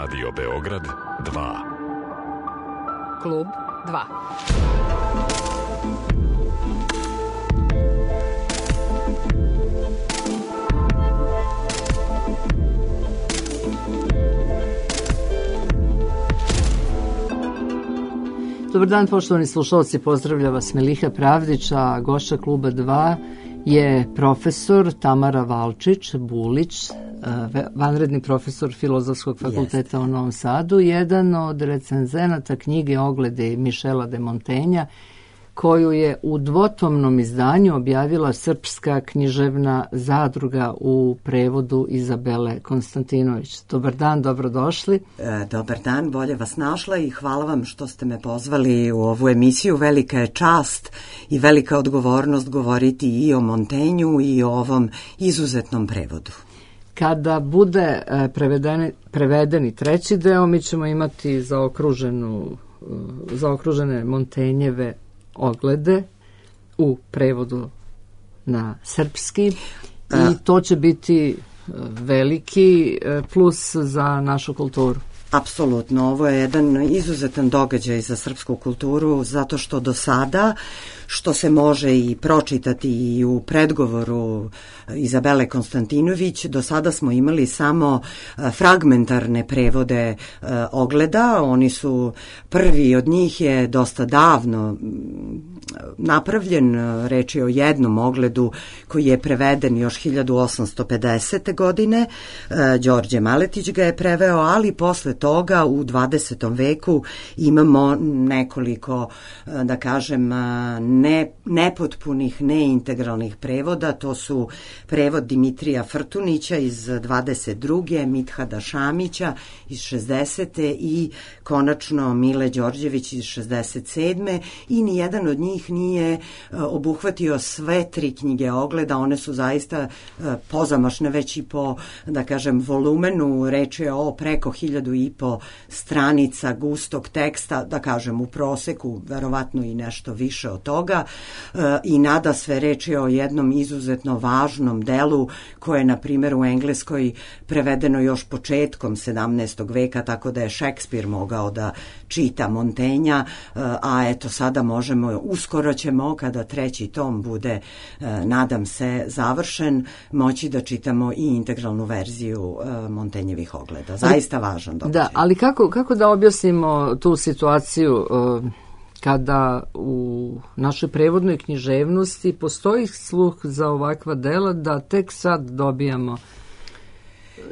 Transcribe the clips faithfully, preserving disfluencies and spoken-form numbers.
Radio Beograd dva. Klub dva. Dobar dan, poštovani slušalci, pozdravlja vas Meliha Pravdić, a gošća Kluba dva je profesor Tamara Valčić-Bulić, vanredni profesor Filozofskog fakulteta u Novom Sadu, jedan od recenzenata knjige Oglede Mišela de Montenja, koju je u dvotomnom izdanju objavila Srpska književna zadruga u prevodu Izabele Konstantinović. Dobar dan, dobrodošli. E, dobar dan, bolje vas našla i hvala vam što ste me pozvali u ovu emisiju. Velika je čast i velika odgovornost govoriti i o Montenju i o ovom izuzetnom prevodu. Kada bude prevedeni, prevedeni treći deo, mi ćemo imati zaokruženu, zaokružene Montenjeve Oglede u prevodu na srpski i to će biti veliki plus za našu kulturu. Apsolutno, ovo je jedan izuzetan događaj za srpsku kulturu zato što do sada, što se može i pročitati i u predgovoru Izabele Konstantinović, do sada smo imali samo fragmentarne prevode Ogleda. Oni su, prvi od njih je dosta davno napravljen, reč je o jednom ogledu koji je preveden još hiljadu osamsto pedesete. godine, Đorđe Maletić ga je preveo, ali posle toga u dvadesetom veku imamo nekoliko, da kažem, ne, nepotpunih, neintegralnih prevoda. To su prevod Dimitrija Frtunića iz dvadeset druge. Mithada Šamića iz šezdesete. i konačno Mile Đorđević iz šezdeset sedme. i nijedan od njih nije obuhvatio sve tri knjige Ogleda. One su zaista pozamašne već i po, da kažem, volumenu. Reč je o preko hiljadu i po stranica gustog teksta, da kažem u proseku, verovatno i nešto više od toga. I nada sve, reč je o jednom izuzetno važnom delu koje je, na primjer, u Engleskoj prevedeno još početkom sedamnaestog veka, tako da je Šekspir mogao da čita Montenja, a eto sada možemo, uskoro ćemo, kada treći tom bude, nadam se, završen, moći da čitamo i integralnu verziju Montenjevih Ogleda. Zaista važan događaj. Da, ali kako, kako da objasnimo tu situaciju kada u našoj prevodnoj književnosti postoji sluh za ovakva dela, da tek sad dobijamo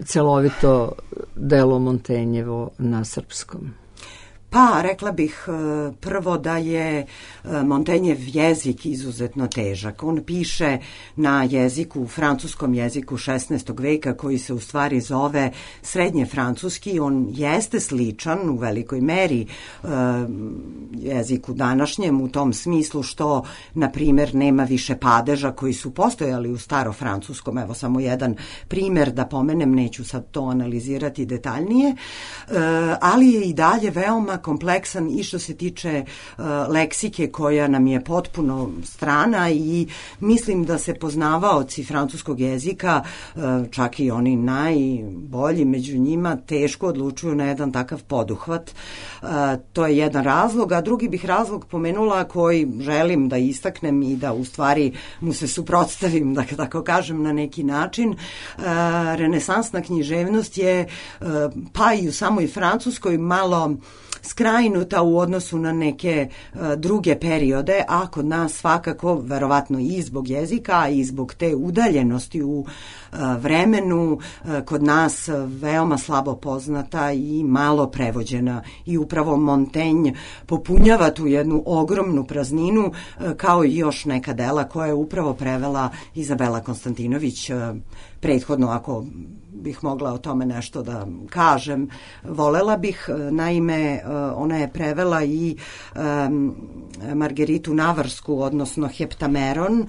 celovito delo Montenjevo na srpskom? Pa, rekla bih prvo da je Montenjev jezik izuzetno težak. On piše na jeziku, francuskom jeziku šesnaestog veka, koji se u stvari zove srednje francuski. On jeste sličan u velikoj meri jeziku današnjem u tom smislu što, na primjer, nema više padeža koji su postojali u starofrancuskom. Evo samo jedan primjer da pomenem, neću sad to analizirati detaljnije, ali je i dalje veoma kompleksan i što se tiče uh, leksike koja nam je potpuno strana i mislim da se poznavaoci francuskog jezika, uh, čak i oni najbolji među njima, teško odlučuju na jedan takav poduhvat. Uh, to je jedan razlog, a drugi bih razlog pomenula koji želim da istaknem i da u stvari mu se suprotstavim, da tako kažem, na neki način. Uh, renesansna književnost je uh, pa i u samoj Francuskoj malo skrajnuta u odnosu na neke uh, druge periode, a kod nas svakako, verovatno i zbog jezika i zbog te udaljenosti u uh, vremenu, uh, kod nas veoma slabo poznata i malo prevođena. I upravo Montaigne popunjava tu jednu ogromnu prazninu, uh, kao i još neka dela koje je upravo prevela Izabela Konstantinović. Uh, prethodno, ako bih mogla o tome nešto da kažem, volela bih. Naime, ona je prevela i um, Margeritu Navarsku, odnosno Heptameron.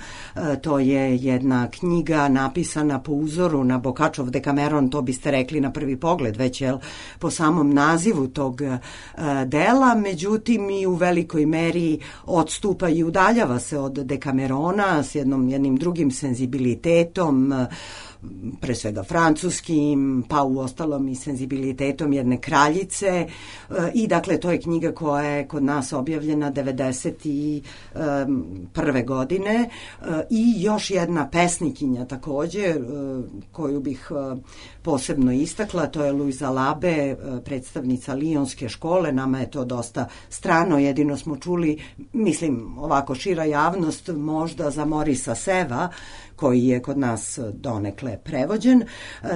To je jedna knjiga napisana po uzoru na Boccaccov Decameron, to biste rekli na prvi pogled već, jel, po samom nazivu tog uh, dela, međutim i u velikoj meri odstupa i udaljava se od Decamerona s jednom, jednim drugim senzibilitetom, pre svega francuskim, pa u ostalom i senzibilitetom jedne kraljice i dakle to je knjiga koja je kod nas objavljena devedeset prve godine i još jedna pesnikinja takođe koju bih posebno istakla, to je Luisa Labe, predstavnica Lijonske škole. Nama je to dosta strano, jedino smo čuli, mislim ovako šira javnost, možda za Morisa Seva, koji je kod nas donekle prevođen.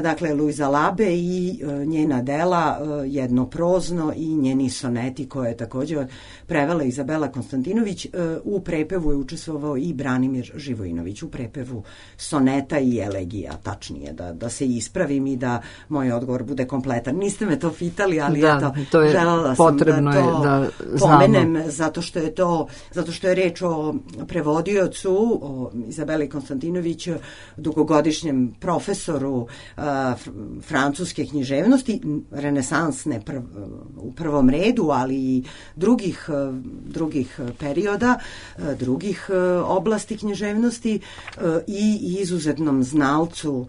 Dakle, Luisa Labe i njena dela, jedno prozno i njeni soneti koje je također prevela Izabela Konstantinović. U prepevu je učestvovao i Branimir Živojinović, u prepevu soneta i elegija, tačnije, da, da se ispravim i da moj odgovor bude kompletan. Niste me to pitali, ali da, eto, to je želela sam potrebno da to da pomenem, zato što je to, zato što je reč o prevodiocu, o Izabeli Konstantinović, dugogodišnjem profesoru uh, francuske književnosti, renesansne prv, u prvom redu, ali i drugih, uh, drugih perioda, uh, drugih uh, oblasti književnosti uh, i izuzetnom znalcu uh,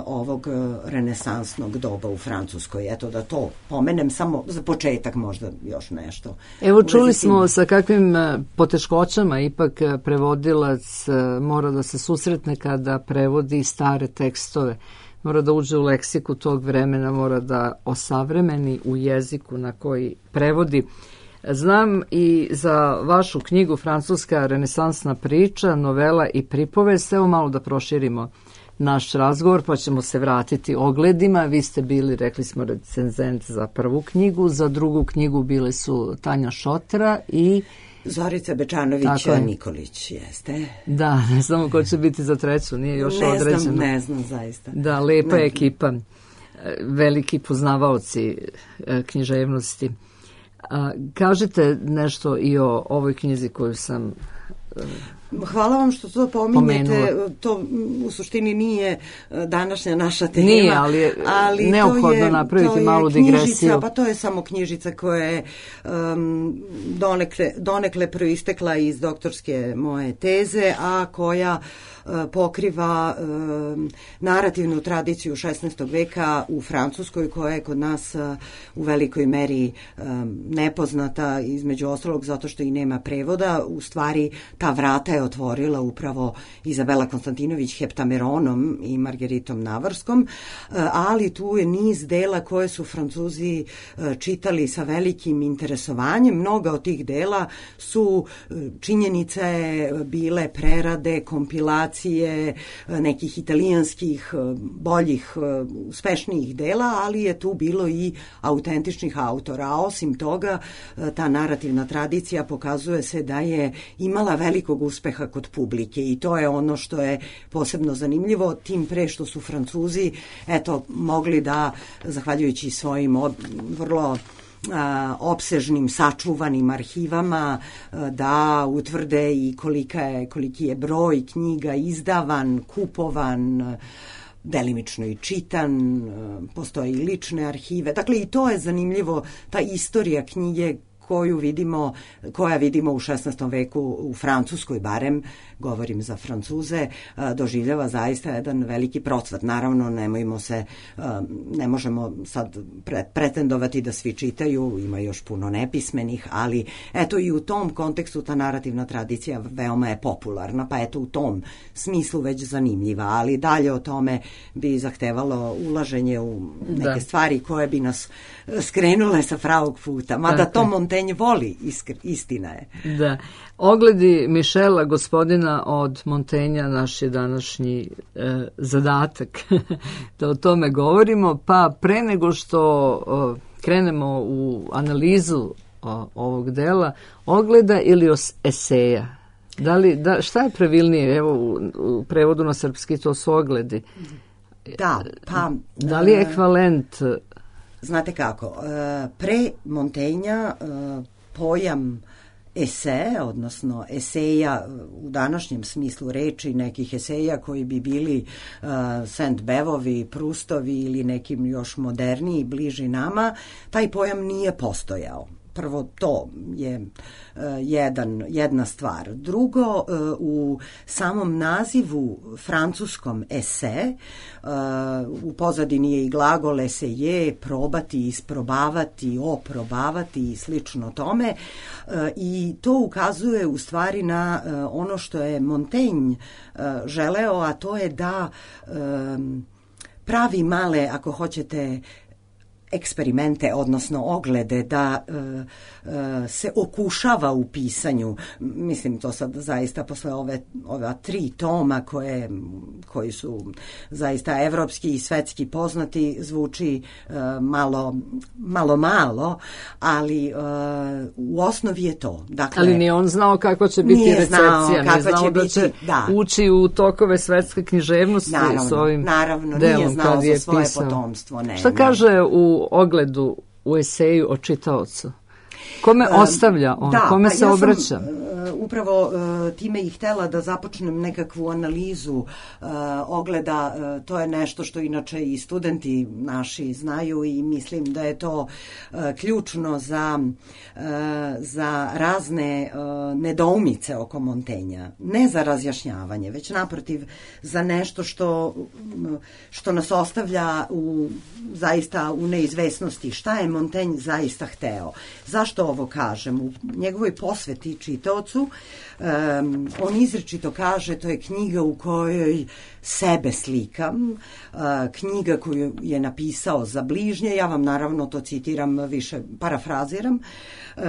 ovog renesansnog doba u Francuskoj. Eto da to pomenem samo za početak, možda još nešto. Evo čuli smo sa kakvim poteškoćama ipak prevodilac mora da se susretne kada prevodi stare tekstove. Mora da uđe u leksiku tog vremena, mora da osavremeni u jeziku na koji prevodi. Znam i za vašu knjigu Francuska renesansna priča, novela i pripovest. Evo malo da proširimo naš razgovor, pa ćemo se vratiti ogledima. Vi ste bili, rekli smo, recenzent za prvu knjigu, za drugu knjigu bile su Tanja Šotra i Zorica Bečanović-Nikolić, jeste. Da, ne znamo ko će biti za treću, nije još ne određeno. Znam, ne znam, zaista. Da, lepa ne ekipa, veliki poznavaoci književnosti. A, kažete nešto i o ovoj knjizi koju sam Hvala vam što to pominjete. Pomenula. To u suštini nije današnja naša tema. Nije, ali je ali neophodno je, napraviti malu digresiju. Knjižica, pa to je samo knjižica koja je um, donekle, donekle proistekla iz doktorske moje teze, a koja uh, pokriva um, narativnu tradiciju šesnaestog veka u Francuskoj, koja je kod nas uh, u velikoj meri um, nepoznata, između ostalog zato što i nema prevoda. U stvari ta vrata je otvorila upravo Izabela Konstantinović Heptameronom i Margeritom Navarskom, ali tu je niz dela koje su Francuzi čitali sa velikim interesovanjem. Mnoga od tih dela su činjenice bile prerade, kompilacije nekih italijanskih boljih, uspešnijih dela, ali je tu bilo i autentičnih autora. A osim toga, ta narativna tradicija pokazuje se da je imala velikog uspeha kod publike i to je ono što je posebno zanimljivo, tim pre što su Francuzi eto mogli da, zahvaljujući svojim od, vrlo a, opsežnim sačuvanim arhivama, a, da utvrde i kolika je, koliki je broj knjiga izdavan, kupovan, delimično i čitan, postoje i lične arhive. Dakle, i to je zanimljivo, ta istorija knjige koju vidimo, koja vidimo u šesnaestom veku u Francuskoj, barem govorim za Francuze, doživljava zaista jedan veliki procvat. Naravno, nemojmo se, ne možemo sad pretendovati da svi čitaju, ima još puno nepismenih, ali eto i u tom kontekstu ta narativna tradicija veoma je popularna, pa eto u tom smislu već zanimljiva, ali dalje o tome bi zahtevalo ulaženje u neke da. stvari koje bi nas skrenule sa pravog puta, mada to Montaigne voli, iskr, istina je. Da. Ogledi Mišela, gospodina od Montaigna, naš je današnji e, zadatak da o tome govorimo, pa pre nego što o, krenemo u analizu o, ovog dela, ogleda ili os, eseja? Da li, da, šta je pravilnije? Evo, u, u prevodu na srpski to su ogledi. Da, pa... Da li je ekvivalent? Znate kako, pre Montaigna pojam ese, odnosno eseja u današnjem smislu reči, nekih eseja koji bi bili uh, Saint-Bevovi, Prustovi ili nekim još moderniji, bliži nama, taj pojam nije postojao. prvo to je jedan, jedna stvar. Drugo, u samom nazivu francuskom ese, u pozadini je i glagol eseje, probati, isprobavati, oprobavati i slično tome, i to ukazuje u stvari na ono što je Montaigne želeo, a to je da pravi male, ako hoćete, eksperimente, odnosno oglede, da e, e, se okušava u pisanju. Mislim, to sad zaista posle ove, ova tri toma koje, koji su zaista evropski i svetski poznati, zvuči e, malo, malo, malo, ali e, u osnovi je to. Dakle, ali nije on znao kako će biti recepcija, nije znao će da biti, će da. ući u tokove svetske književnosti naravno, s ovim naravno, delom nije znao kad je za svoje pisao. potomstvo. Ne, Šta ne. kaže u ogledu u eseju o čitaocu? Kome ostavlja on? Da, Kome pa se ja obraća? Sam, uh, upravo uh, time i htela da započnem nekakvu analizu uh, ogleda. Uh, to je nešto što inače i studenti naši znaju i mislim da je to uh, ključno za, uh, za razne uh, nedoumice oko Montaignea. Ne za razjašnjavanje, već naprotiv za nešto što, što nas ostavlja u, zaista u neizvesnosti. Šta je Montaigne zaista hteo? Zašto ovo kažem? U njegovoj posveti čitaocu um, on izričito kaže, to je knjiga u kojoj sebe slikam, uh, knjiga koju je napisao za bližnje, ja vam naravno to citiram, više parafraziram, uh,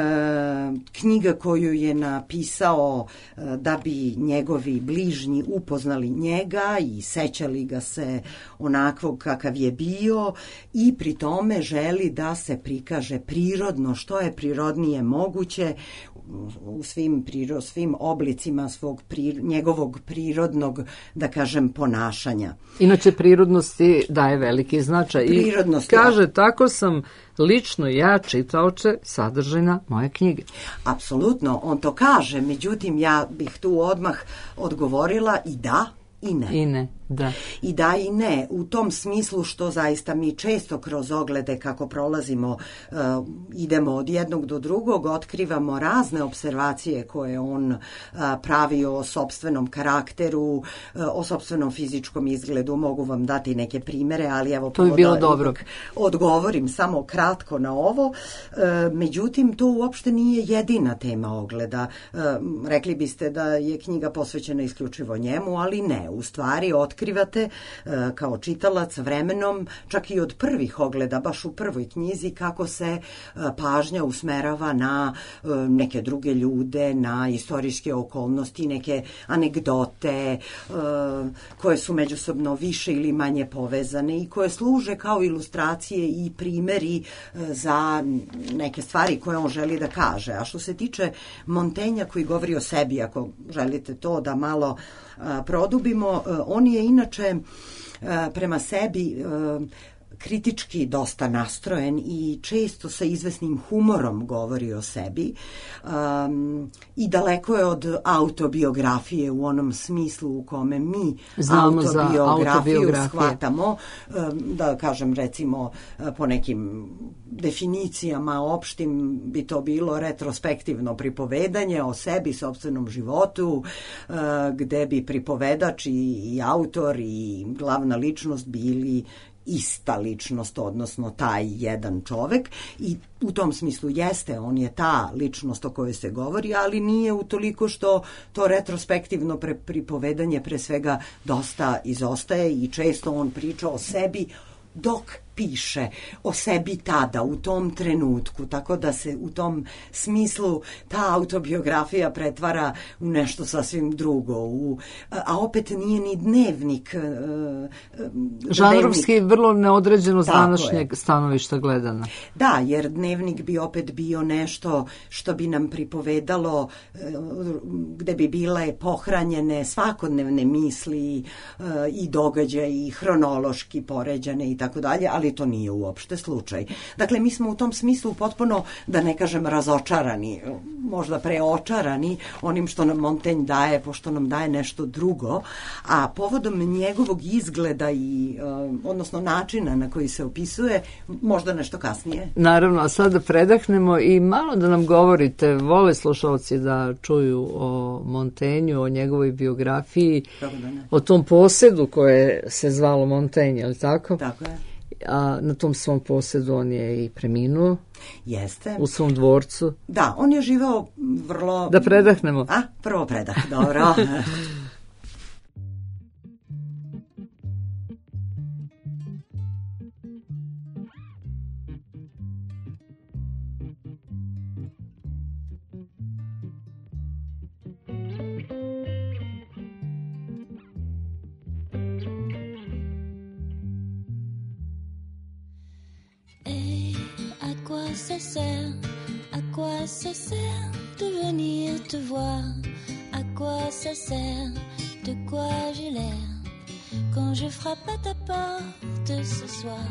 knjiga koju je napisao uh, da bi njegovi bližnji upoznali njega i sećali ga se onakvog kakav je bio, i pri tome želi da se prikaže prirodno, što je prirodnije moguće, u svim, priro, svim oblicima svog pri, njegovog prirodnog, da kažem, ponašanja. Inače, prirodnosti daje veliki značaj. I kaže, da. Tako sam lično ja, čitaoče, sadržina moje knjige. Apsolutno, on to kaže, međutim, ja bih tu odmah odgovorila i da, i ne. I ne, da. I da i ne, u tom smislu što zaista mi često kroz oglede kako prolazimo, uh, idemo od jednog do drugog, otkrivamo razne observacije koje on uh, pravi o sopstvenom karakteru, uh, o sopstvenom fizičkom izgledu. Mogu vam dati neke primere, ali evo to bi bilo da dobro. Odgovorim samo kratko na ovo. Uh, međutim, to uopšte nije jedina tema ogleda. Uh, rekli biste da je knjiga posvećena isključivo njemu, ali ne. U stvari, otkrivate uh, kao čitalac vremenom, čak i od prvih ogleda, baš u prvoj knjizi, kako se uh, pažnja usmerava na uh, neke druge ljude, na istorijske okolnosti, neke anegdote uh, koje su međusobno više ili manje povezane i koje služe kao ilustracije i primeri uh, za neke stvari koje on želi da kaže. A što se tiče Montaigna koji govori o sebi, ako želite to da malo produbimo, on je inače prema sebi kritički dosta nastrojen i često sa izvesnim humorom govori o sebi, um, i daleko je od autobiografije u onom smislu u kome mi znamo autobiografiju shvatamo, um, da kažem recimo po nekim definicijama opštim bi to bilo retrospektivno pripovedanje o sebi, sopstvenom životu, uh, gde bi pripovedač i, i autor i glavna ličnost bili ista ličnost, odnosno taj jedan čovek, i u tom smislu jeste, on je ta ličnost o kojoj se govori, ali nije utoliko što to retrospektivno pre, pripovedanje pre svega dosta izostaje i često on priča o sebi dok piše o sebi tada, u tom trenutku, tako da se u tom smislu ta autobiografija pretvara u nešto sasvim drugo. U, a opet nije ni dnevnik. Žanrovski dnevnik. Vrlo neodređeno s današnjeg stanovišta gledana. Da, jer dnevnik bi opet bio nešto što bi nam pripovedalo, gde bi bile pohranjene svakodnevne misli i događaje i hronološki poređane i tako dalje, ali ali to nije uopšte slučaj. Dakle, mi smo u tom smislu potpuno, da ne kažem razočarani, možda preočarani onim što nam Montaigne daje, pošto nam daje nešto drugo, a povodom njegovog izgleda i, odnosno načina na koji se opisuje, možda nešto kasnije. Naravno, a sad da predahnemo i malo da nam govorite, vole slušalci da čuju o Montaignu, o njegovoj biografiji, Da o tom posedu koje se zvalo Montaigne, je li tako? Tako je. A na tom svom posedu on je i preminuo. Jeste. U svom dvorcu. Da, on je živeo vrlo... Da predahnemo. A, prvo predah, dobro. Ça sert, à quoi ça sert de venir te voir? À quoi ça sert, de quoi j'ai l'air quand je frappe à ta porte ce soir?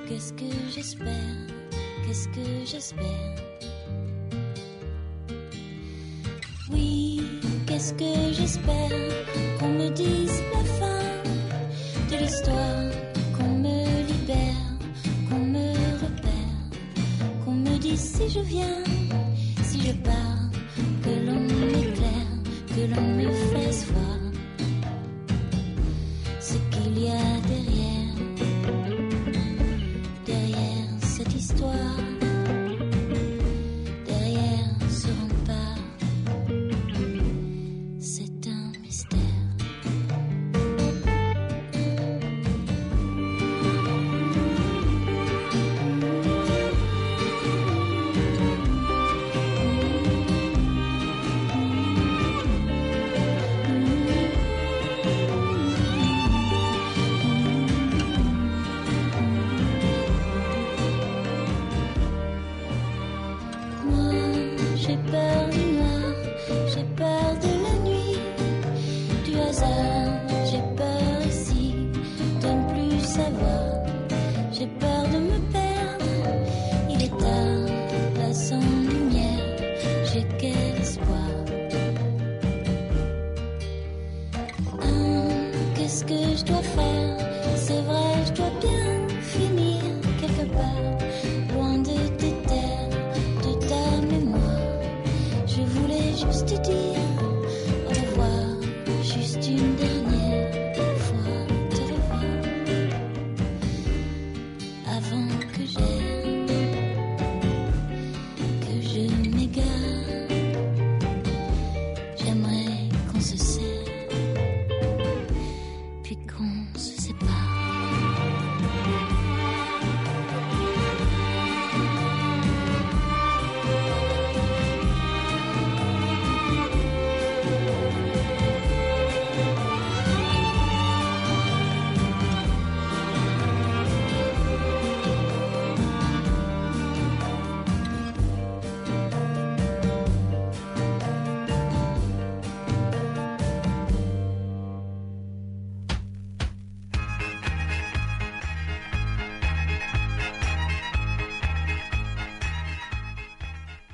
Qu'est-ce que j'espère, qu'est-ce que j'espère? Oui, qu'est-ce que j'espère? Qu'on me dise la fin de l'histoire, qu'on me libère, qu'on me si je viens, si je pars, que l'on m'éclaire, que l'on me fasse voir ce qu'il y a derrière, derrière cette histoire, derrière ce rempart, c'est un mystère.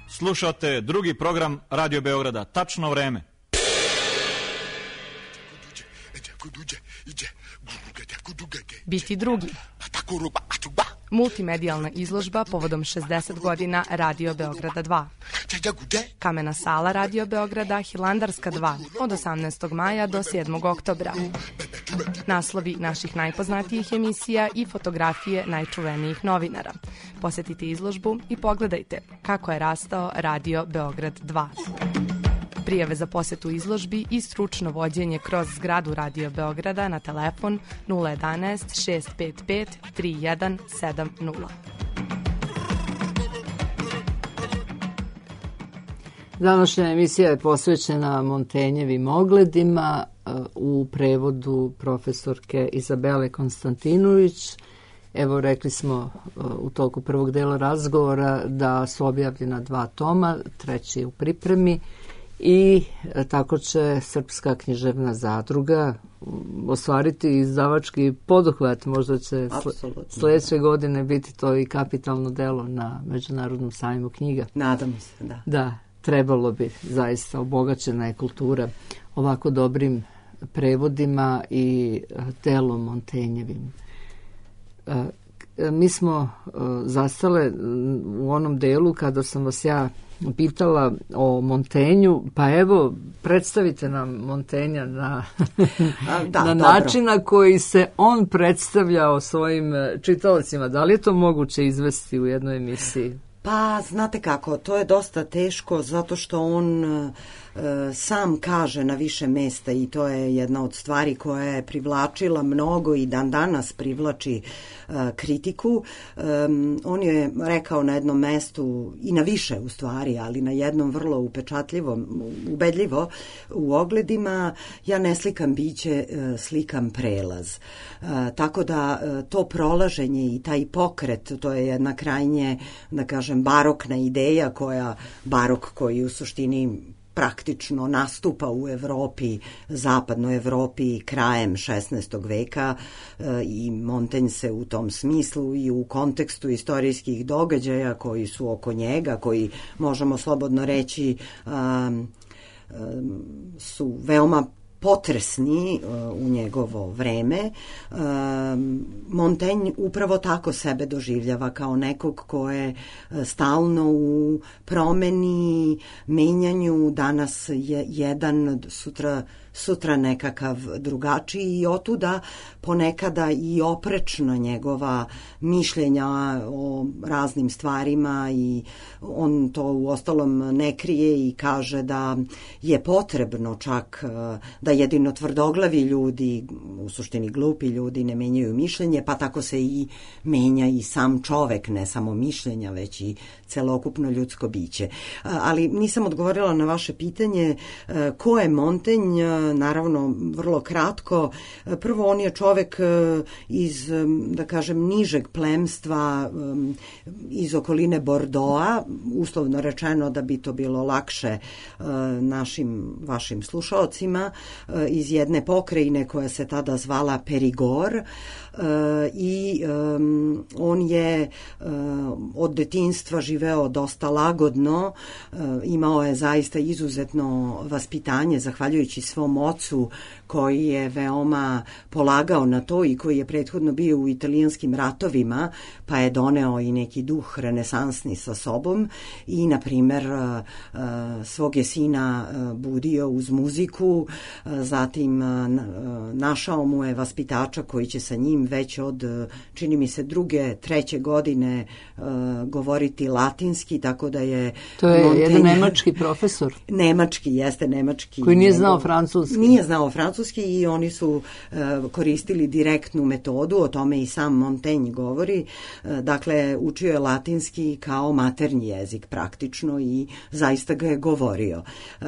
Slušate drugi program Radio Beograda. Tačno vreme. Biti drugi. Multimedijalna izložba povodom šezdeset godina Radio Beograda dva. Kamena sala Radio Beograda Hilandarska dva od osamnaestog maja do sedmog oktobra. Naslovi naših najpoznatijih emisija i fotografije najčuvenijih novinara. Posetite izložbu i pogledajte kako je rastao Radio Beograd dva. Prijave za posetu izložbi i stručno vođenje kroz zgradu Radio Beograda na telefon nula jedanaest šest pet pet tri jedan sedam nula. Današnja emisija je posvećena Montaignovim ogledima u prevodu profesorke Izabele Konstantinović. Evo, rekli smo u toku prvog dela razgovora da su objavljena dva toma, treći je u pripremi i tako će Srpska književna zadruga ostvariti izdavački poduhvat. Možda će sljedeće godine biti to i kapitalno delo na Međunarodnom sajmu knjiga. Nadam se, da. Da, trebalo bi, zaista obogaćena je kultura ovako dobrim prevodima i delom Montagnjevim. Mi smo zastale u onom delu kada sam vas ja pitala o Montagnju, pa evo, predstavite nam Montagnja na, da, na način na koji se on predstavljao svojim čitaocima. Da li je to moguće izvesti u jednoj emisiji? Pa, znate kako, to je dosta teško zato što on e, sam kaže na više mesta i to je jedna od stvari koja je privlačila mnogo i dan danas privlači e, kritiku. E, on je rekao na jednom mestu i na više u stvari, ali na jednom vrlo upečatljivom, ubedljivo u ogledima, ja ne slikam biće, e, slikam prelaz. E, tako da e, to prolaženje i taj pokret, to je jedna krajnje, da kažem, barokna ideja koja, barok koji u suštini praktično nastupa u Evropi, zapadnoj Evropi krajem šesnaestog veka e, i Montaigne se u tom smislu i u kontekstu istorijskih događaja koji su oko njega, koji možemo slobodno reći um, um, su veoma potresni uh, u njegovo vreme. Uh, Montaigne upravo tako sebe doživljava kao nekog ko je uh, stalno u promeni, menjanju, danas je jedan, sutra sutra nekakav drugačiji i otuda ponekada i oprečna njegova mišljenja o raznim stvarima i on to u ostalom ne krije i kaže da je potrebno čak da jedino tvrdoglavi ljudi, u suštini glupi ljudi, ne menjaju mišljenje, pa tako se i menja i sam čovek, ne samo mišljenja, već i celokupno ljudsko biće. Ali nisam odgovorila na vaše pitanje ko je Montaigne. Naravno, vrlo kratko. Prvo, on je čovek iz, da kažem, nižeg plemstva, iz okoline Bordeauxa, uslovno rečeno da bi to bilo lakše našim, vašim slušaocima, iz jedne pokrajine koja se tada zvala Perigord. I um, on je um, od detinjstva živeo dosta lagodno, um, imao je zaista izuzetno vaspitanje zahvaljujući svom ocu koji je veoma polagao na to i koji je prethodno bio u italijanskim ratovima, pa je doneo i neki duh renesansni sa sobom i, na primer, svog je sina budio uz muziku, zatim našao mu je vaspitača koji će sa njim već od, čini mi se, druge, treće godine govoriti latinski, tako da je... To je Montaigne, jedan nemački profesor. Nemački, jeste nemački. Koji nije znao francuski. Nije znao francuski i oni su uh, koristili direktnu metodu, o tome i sam Montaigne govori. Uh, dakle, učio je latinski kao maternji jezik praktično i zaista ga je govorio. Uh,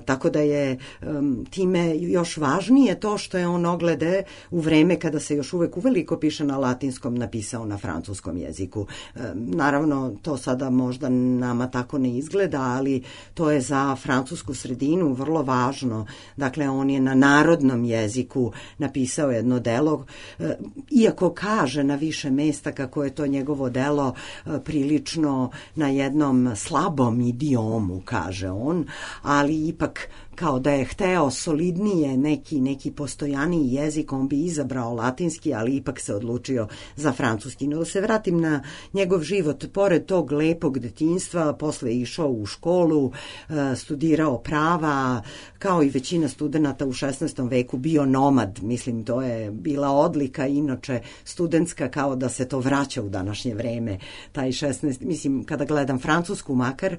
tako da je um, time još važnije to što je on oglede u vreme kada se još uvek uveliko piše na latinskom napisao na francuskom jeziku. Uh, naravno, to sada možda nama tako ne izgleda, ali to je za francusku sredinu vrlo važno. Dakle, on je na narodnom jeziku napisao jedno delo, iako kaže na više mesta kako je to njegovo delo prilično na jednom slabom idiomu, kaže on, ali ipak kao da je hteo solidnije neki, neki postojaniji jezik, on bi izabrao latinski, ali ipak se odlučio za francuski. No, da se vratim na njegov život, pored tog lepog detinjstva, posle je išao u školu, studirao prava, kao i većina studenata u šesnaestom veku bio nomad, mislim, to je bila odlika, inače studentska, kao da se to vraća u današnje vreme, taj šesnaest, mislim, kada gledam Francusku makar,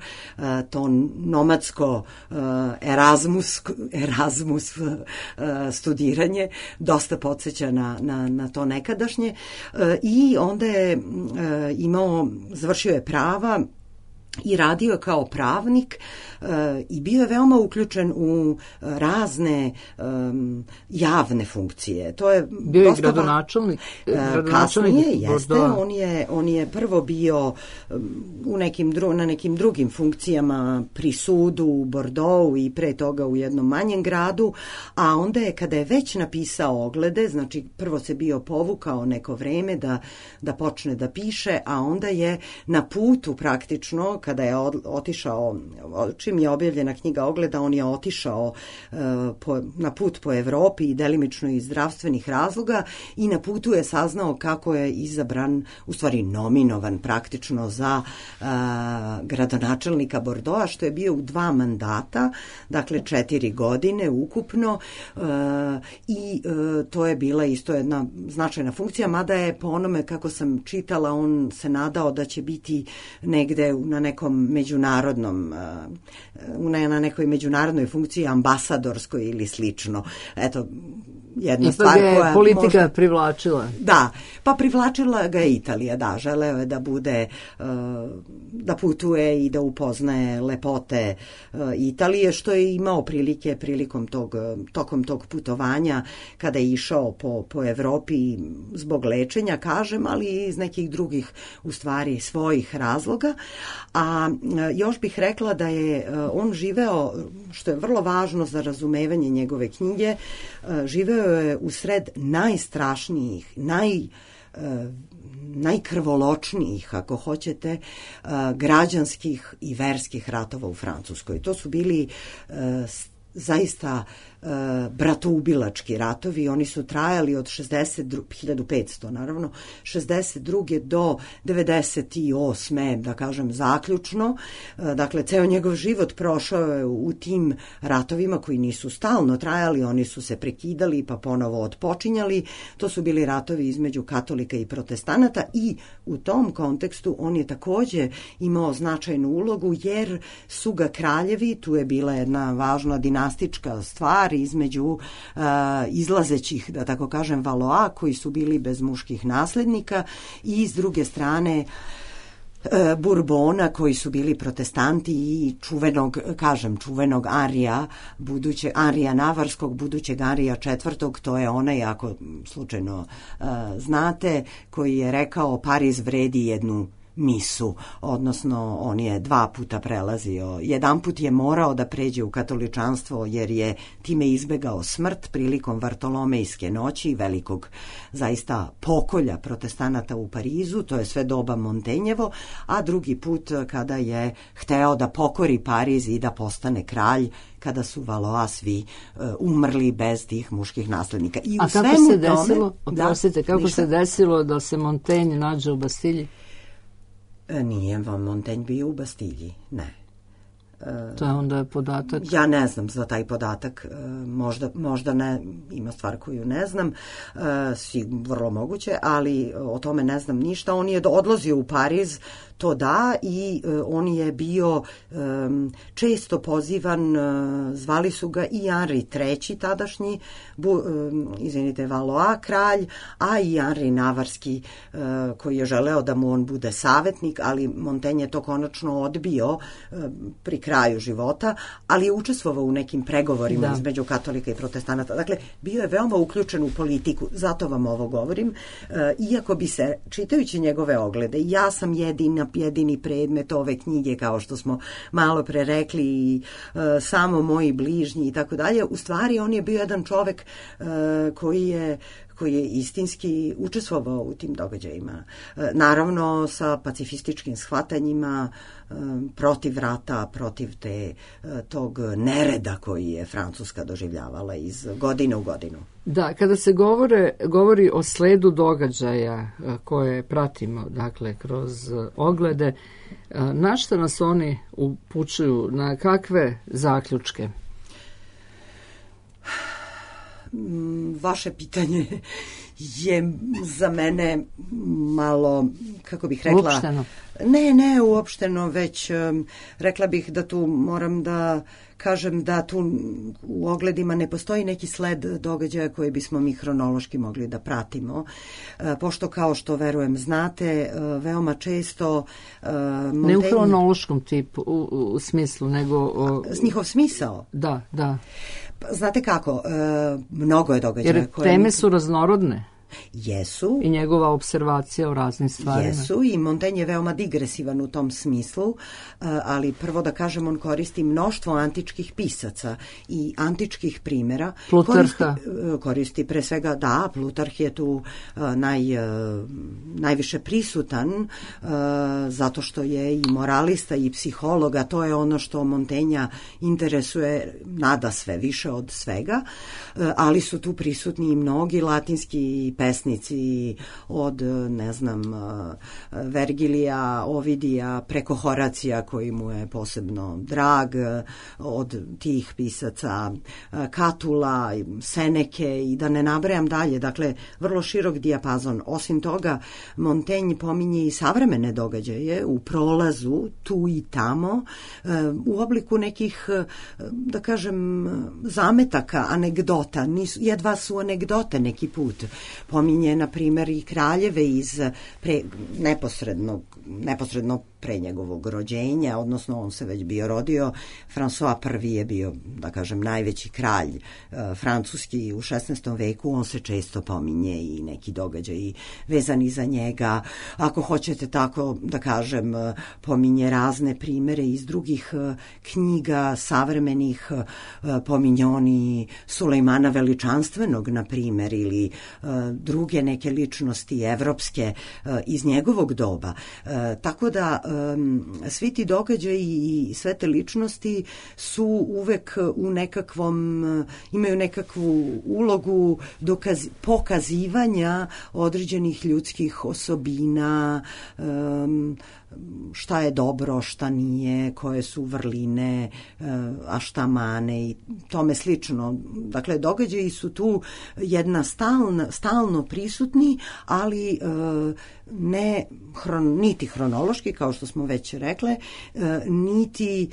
to nomadsko Erasmus Erasmus, Erasmus uh, studiranje dosta podsjeća na, na, na to nekadašnje uh, i onda je uh, imao, završio je prava i radio kao pravnik e, i bio je veoma uključen u razne e, javne funkcije. To je bio je gradonačelnik. E, kasnije jeste, on je, on je prvo bio u nekim dru, na nekim drugim funkcijama pri sudu u Bordeauxu i pre toga u jednom manjem gradu, a onda je kada je već napisao oglede, znači prvo se bio povukao neko vreme da, da počne da piše, a onda je na putu praktično kada je otišao, čim je objavljena knjiga Ogleda, on je otišao uh, po, na put po Evropi i delimično iz zdravstvenih razloga i na putu je saznao kako je izabran, u stvari nominovan praktično za uh, gradonačelnika Bordeauxa, što je bio u dva mandata, dakle četiri godine ukupno uh, i uh, to je bila isto jedna značajna funkcija, mada je po onome kako sam čitala, on se nadao da će biti negde na nekom međunarodnom, na nekoj međunarodnoj funkciji, ambasadorskoj ili slično. Eto, jedna ipak stvar je koja politika možda privlačila. Da, pa privlačila ga je Italija, da, želeo je da bude, da putuje i da upoznaje lepote Italije, što je imao prilike prilikom tog, tokom tog putovanja kada je išao po, po Evropi zbog lečenja, kažem, ali i iz nekih drugih, u stvari, svojih razloga. A još bih rekla da je on živeo, što je vrlo važno za razumevanje njegove knjige, živeo je usred najstrašnijih, naj, najkrvoločnijih, ako hoćete, građanskih i verskih ratova u Francuskoj. To su bili zaista bratoubilački ratovi, oni su trajali od hiljadu petsto naravno, šezdeset druge do devedeset osme da kažem zaključno. Dakle, ceo njegov život prošao je u tim ratovima koji nisu stalno trajali, oni su se prekidali pa ponovo otpočinjali. To su bili ratovi između katolika i protestanata i u tom kontekstu on je takođe imao značajnu ulogu jer su ga kraljevi, tu je bila jedna važna dinastička stvar između uh, izlazećih, da tako kažem, Valoa, koji su bili bez muških naslednika, i s druge strane uh, Burbona, koji su bili protestanti, i čuvenog, kažem, čuvenog Arija, buduće, Arija Navarskog, budućeg Arija četvrtog, to je onaj, ako slučajno uh, znate, koji je rekao Pariz vredi jednu misu, odnosno on je dva puta prelazio. Jedan put je morao da pređe u katoličanstvo jer je time izbegao smrt prilikom Vartolomejske noći, velikog zaista pokolja protestanata u Parizu, to je sve doba Montenjevo, a drugi put kada je hteo da pokori Pariz i da postane kralj, kada su Valoa svi uh, umrli bez tih muških naslednika. I a u kako svemu se desilo, tome, oprostite, da, kako ništa? se desilo da se Montaigne nađe u Bastilji? Nije vam Montaigne bio u Bastilji, ne. To je onda podatak? Ja ne znam za taj podatak, možda, možda ne, ima stvar koju ne znam, svi vrlo moguće, ali o tome ne znam ništa. On je odlazio u Pariz, to da, i on je bio um, često pozivan, uh, zvali su ga i Henri treći tadašnji, bu, um, izvinite, Valois kralj, a i Henri Navarski uh, koji je želeo da mu on bude savetnik, ali Montaigne je to konačno odbio uh, pri kraju života, ali je učestvovao u nekim pregovorima da. između katolika i protestanata. Dakle, bio je veoma uključen u politiku, zato vam ovo govorim, uh, iako bi se, čitajući njegove oglede, ja sam jedina jedini predmet ove knjige, kao što smo malo pre rekli, i uh, samo moji bližnji i tako dalje. U stvari on je bio jedan čovek uh, koji je koji je istinski učestvovao u tim događajima. Uh, naravno sa pacifističkim shvatanjima, uh, protiv rata, protiv te, uh, tog nereda koji je Francuska doživljavala iz godine u godinu. Da, kada se govore, govori o sledu događaja koje pratimo, dakle, kroz oglede, na šta nas oni upućuju, na kakve zaključke? Vaše pitanje je za mene malo, kako bih rekla... Uopšteno. Ne, ne uopšteno, već um, rekla bih da tu moram da kažem da tu u ogledima ne postoji neki sled događaja koji bismo mi hronološki mogli da pratimo, pošto kao što verujem znate, veoma često Montaigne... Ne u hronološkom tipu, u, u smislu, nego... O... Njihov smisao? Da, da. Znate kako, mnogo je događaja. Jer teme su raznorodne. Jesu. I njegova observacija o raznim stvarima. Jesu i Montaigne je veoma digresivan u tom smislu, ali prvo da kažem, on koristi mnoštvo antičkih pisaca i antičkih primjera. Plutarha. Koristi, koristi pre svega, da, Plutarh je tu naj, najviše prisutan, zato što je i moralista i psihologa, to je ono što Montaignea interesuje nada sve više od svega, ali su tu prisutni i mnogi latinski pesnici od, ne znam, Vergilija, Ovidija, preko Horacija koji mu je posebno drag, od tih pisaca Katula, Seneke i da ne nabrajam dalje. Dakle, vrlo širok dijapazon. Osim toga, Montaigne pominje i savremene događaje u prolazu, tu i tamo, u obliku nekih, da kažem, zametaka, anegdota. Nisu, jedva su anegdote neki put. Pominje, na primjer, i kraljeve iz pre, neposrednog, neposredno pre njegovog rođenja, odnosno on se već bio rodio. François prvi je bio, da kažem, najveći kralj e, francuski u šesnaestom veku, on se često pominje i neki događaji vezani za njega. Ako hoćete tako, da kažem, pominje razne primere iz drugih e, knjiga, savremenih, e, pominje oni Sulejmana Veličanstvenog, na primjer, ili e, druge neke ličnosti evropske e, iz njegovog doba. E, tako da svi ti događaji i sve te ličnosti su uvek u nekakvom, imaju nekakvu ulogu dokaz, pokazivanja određenih ljudskih osobina, um, šta je dobro, šta nije, koje su vrline, a šta mane i tome slično. Dakle, događaji su tu jedna stalna, stalno prisutni, ali ne hron, niti hronološki, kao što smo već rekle, niti,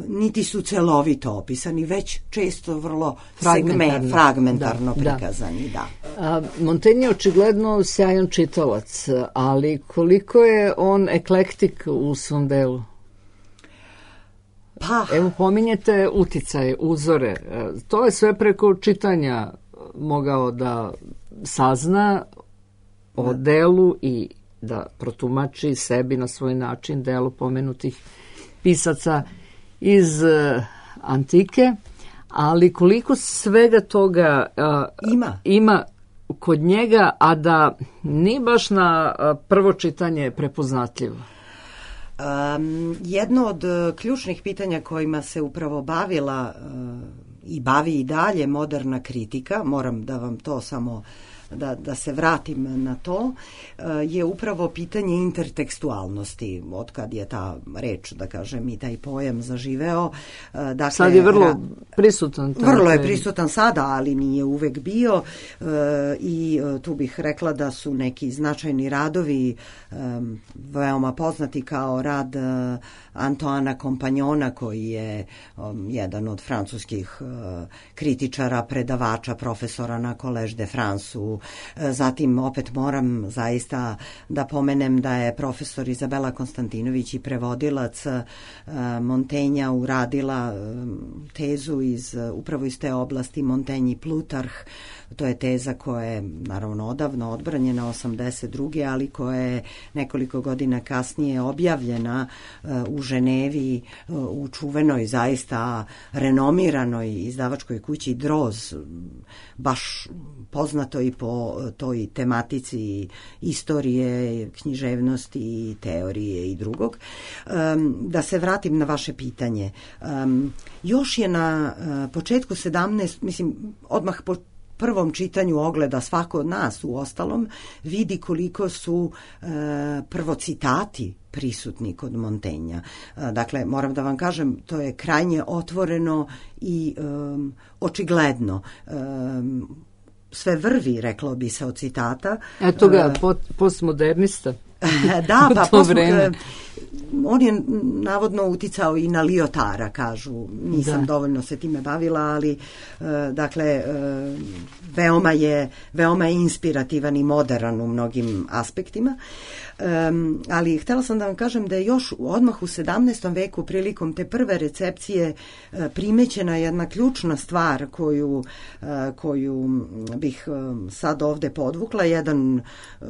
niti su celovito opisani, već često vrlo fragmentarno, segme, fragmentarno da, prikazani. Da. Da. Montaigne je očigledno sjajan čitalac, ali koliko je on eklektik u svom delu? Pa. Evo, pominjete uticaje, uzore. To je sve preko čitanja mogao da sazna o delu i da protumači sebi na svoj način delo pomenutih pisaca iz uh, antike, ali koliko svega toga uh, ima. ima kod njega, a da ni baš na uh, prvo čitanje prepoznatljivo. Um, jedno od uh, ključnih pitanja kojima se upravo bavila uh, i bavi i dalje moderna kritika, moram da vam to samo Da, da se vratim na to, je upravo pitanje intertekstualnosti, od kad je ta reč, da kažem, i taj pojam zaživeo. Dakle, sad je vrlo prisutan. Vrlo je prisutan sada, ali nije uvek bio i tu bih rekla da su neki značajni radovi veoma poznati kao rad Antoana Compagnona, koji je jedan od francuskih kritičara, predavača, profesora na Collège de France-u. Zatim opet moram zaista da pomenem da je profesor Izabela Konstantinović i prevodilac Montaigna uradila tezu iz, upravo iz te oblasti Montaigne i Plutarh. To je teza koja je naravno odavno odbranjena osamdeset druge ali koja je nekoliko godina kasnije objavljena u Ženevi u čuvenoj, zaista renomiranoj izdavačkoj kući Droz, baš poznato i po toj tematici istorije, književnosti, teorije i drugog. Da se vratim na vaše pitanje. Još je na početku sedamnaestog mislim, odmah po prvom čitanju ogleda svako od nas u ostalom, vidi koliko su e, prvo citati prisutni kod Montaigna. E, dakle, moram da vam kažem, to je krajnje otvoreno i e, očigledno. E, sve vrvi, reklo bi se, od citata. Eto ga, postmodernista. Da, pa postmodernista. on je navodno uticao i na Liotara, kažu. Nisam da. dovoljno se time bavila, ali uh, dakle uh, veoma je veoma je inspirativan i moderan u mnogim aspektima. Um, ali htela sam da vam kažem da je još odmah u sedamnaestom veku prilikom te prve recepcije uh, primećena jedna ključna stvar koju, uh, koju bih uh, sad ovde podvukla. Jedan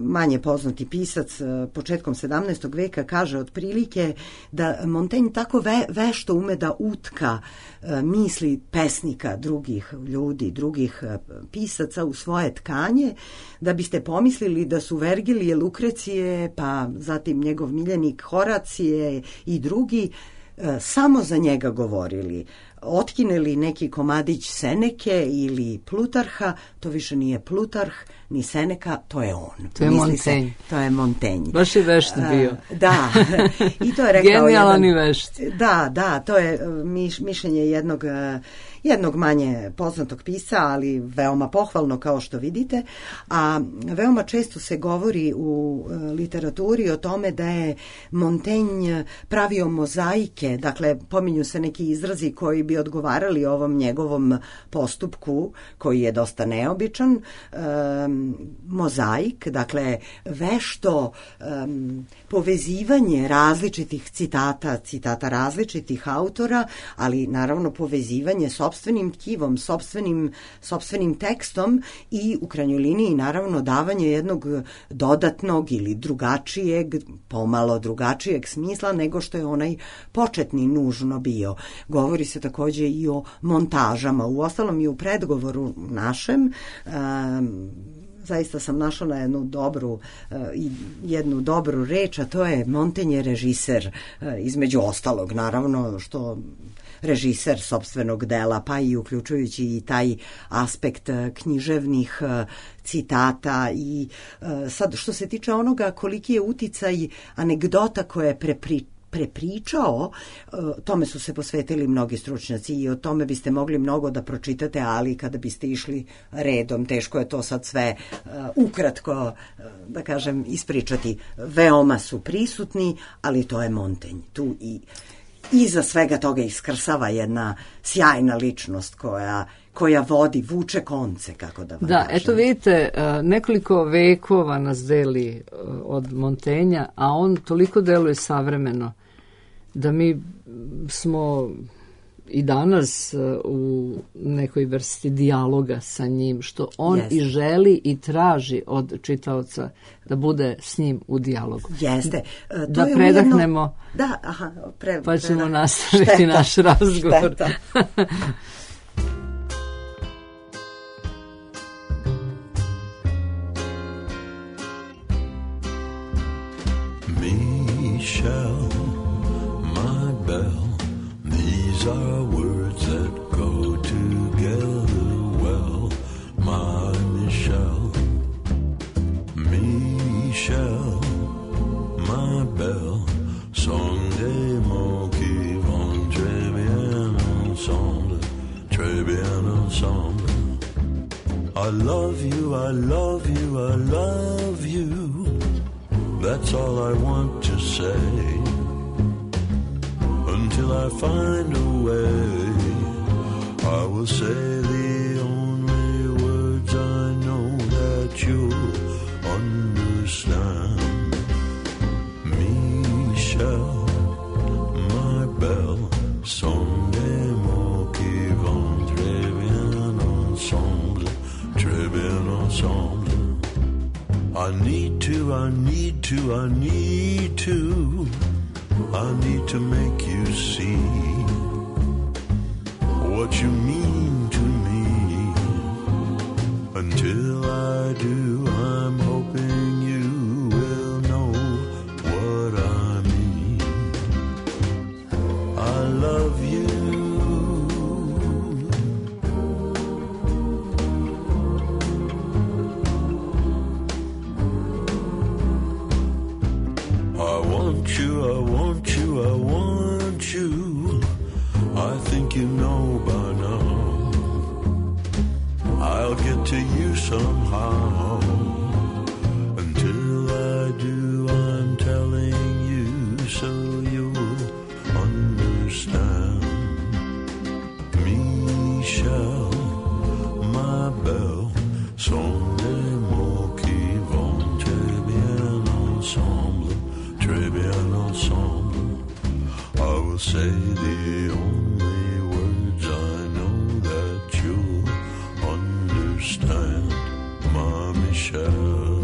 manje poznati pisac uh, početkom sedamnaestog veka kaže otprilike da Montaigne tako ve, vešto ume da utka uh, misli pesnika, drugih ljudi, drugih uh, pisaca u svoje tkanje, da biste pomislili da su Vergilije, Lukrecije, pa zatim njegov miljenik Horacije i drugi e, samo za njega govorili. Otkineli neki komadić Seneke ili Plutarha, to više nije Plutarh ni Seneka, to je on. To je Misli Montaigne. Se, to je Montaigne. Baš je vešt bio. A, da, i to je rekao genijalan jedan, i vešt. Da, da, to je miš, mišljenje jednog jednog manje poznatog pisca, ali veoma pohvalno kao što vidite, a veoma često se govori u literaturi o tome da je Montaigne pravio mozaike, dakle pominju se neki izrazi koji bi odgovarali ovom njegovom postupku koji je dosta neobičan, um, mozaik, dakle vešto um, povezivanje različitih citata, citata različitih autora, ali naravno povezivanje sopstvenim tkivom, sopstvenim, sopstvenim tekstom i u krajnjoj liniji naravno davanje jednog dodatnog ili drugačijeg, pomalo drugačijeg smisla nego što je onaj početni nužno bio. Govori se takođe i o montažama. Uostalom i u predgovoru našem um, zaista sam našla na jednu dobru uh, jednu dobru reč, a to je Montaigne je režiser, uh, između ostalog naravno što režiser sopstvenog dela, pa i uključujući i taj aspekt književnih citata i sad što se tiče onoga koliki je uticaj anegdota koje je prepri, prepričao, tome su se posvetili mnogi stručnjaci i o tome biste mogli mnogo da pročitate, ali kada biste išli redom, teško je to sad sve ukratko, da kažem, ispričati. Veoma su prisutni, ali to je Montaigne. Tu i iza svega toga iskrsava jedna sjajna ličnost koja, koja vodi, vuče konce, kako da vam Da, kažem. eto vidite, nekoliko vekova nas deli od Montaigna, a on toliko deluje savremeno da mi smo i danas u nekoj vrsti dijaloga sa njim, što on Jeste. i želi i traži od čitaoca da bude s njim u dijalogu. Jeste. To da je predahnemo, ujedno, da, aha, pre, pa ćemo predah... nastaviti šteta, naš razgovor. Šteta. Michelle, my belle, these are words that go together well, my Michelle. Michelle, my belle, sont des mots qui vont très bien ensemble, très bien ensemble. I love you, I love you, I love you. That's all I want to say, until I find a way. I will say the only words I know that you'll understand. Michelle, my belle, sont des mots qui vont très bien ensemble, très bien ensemble. I need to, I need to, I need to, I need to make you see what you mean to me. Until I do, I'm hoping you will know what I mean. I love you. I want you, I want you, I want you. I think you know by now. I'll get to you somehow. Until I do, I'm telling you so you I'll say the only words I know that you'll understand, my Michelle.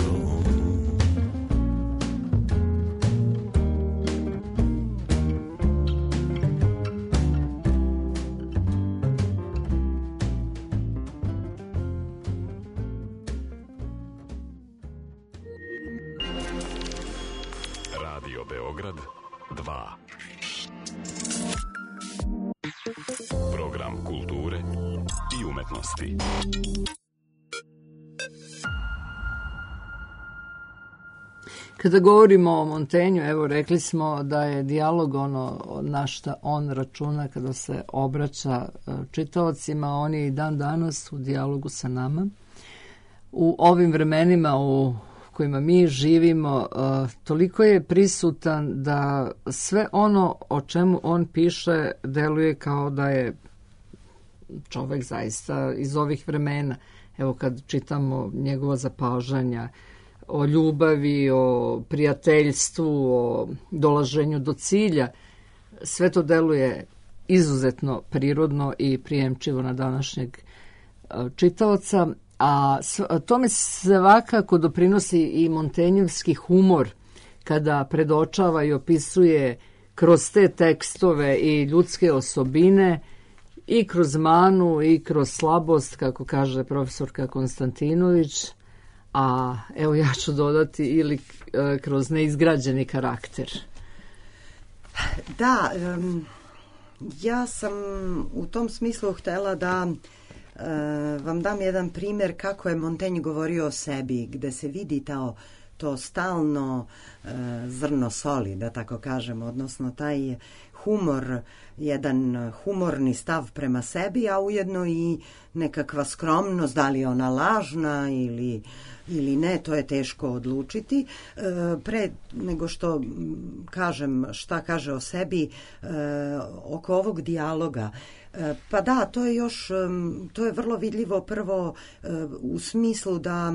Radio Beograd dva. Program kulture i umetnosti. Kada govorimo o Montaignu, evo rekli smo da je dijalog ono na šta on računa kada se obraća čitaocima, on je i dan danas u dijalogu sa nama. U ovim vremenima u kojima mi živimo, toliko je prisutan da sve ono o čemu on piše deluje kao da je čovek zaista iz ovih vremena. Evo kad čitamo njegova zapažanja o ljubavi, o prijateljstvu, o dolaženju do cilja, sve to deluje izuzetno prirodno i prijemčivo na današnjeg čitaoca. A tome svakako doprinosi i Montaignovski humor kada predočava i opisuje kroz te tekstove i ljudske osobine i kroz manu i kroz slabost, kako kaže profesorka Konstantinović, a evo ja ću dodati ili kroz neizgrađeni karakter. Da, um, ja sam u tom smislu htela da Uh, vam dam jedan primjer kako je Montaigne govorio o sebi, gde se vidi to, to stalno uh, zrno soli, da tako kažem, odnosno taj humor, jedan humorni stav prema sebi, a ujedno i nekakva skromnost, da li je ona lažna ili, ili ne, to je teško odlučiti. E, pre nego što kažem šta kaže o sebi, e, oko ovog dijaloga, e, pa da, to je još, to je vrlo vidljivo prvo e, u smislu da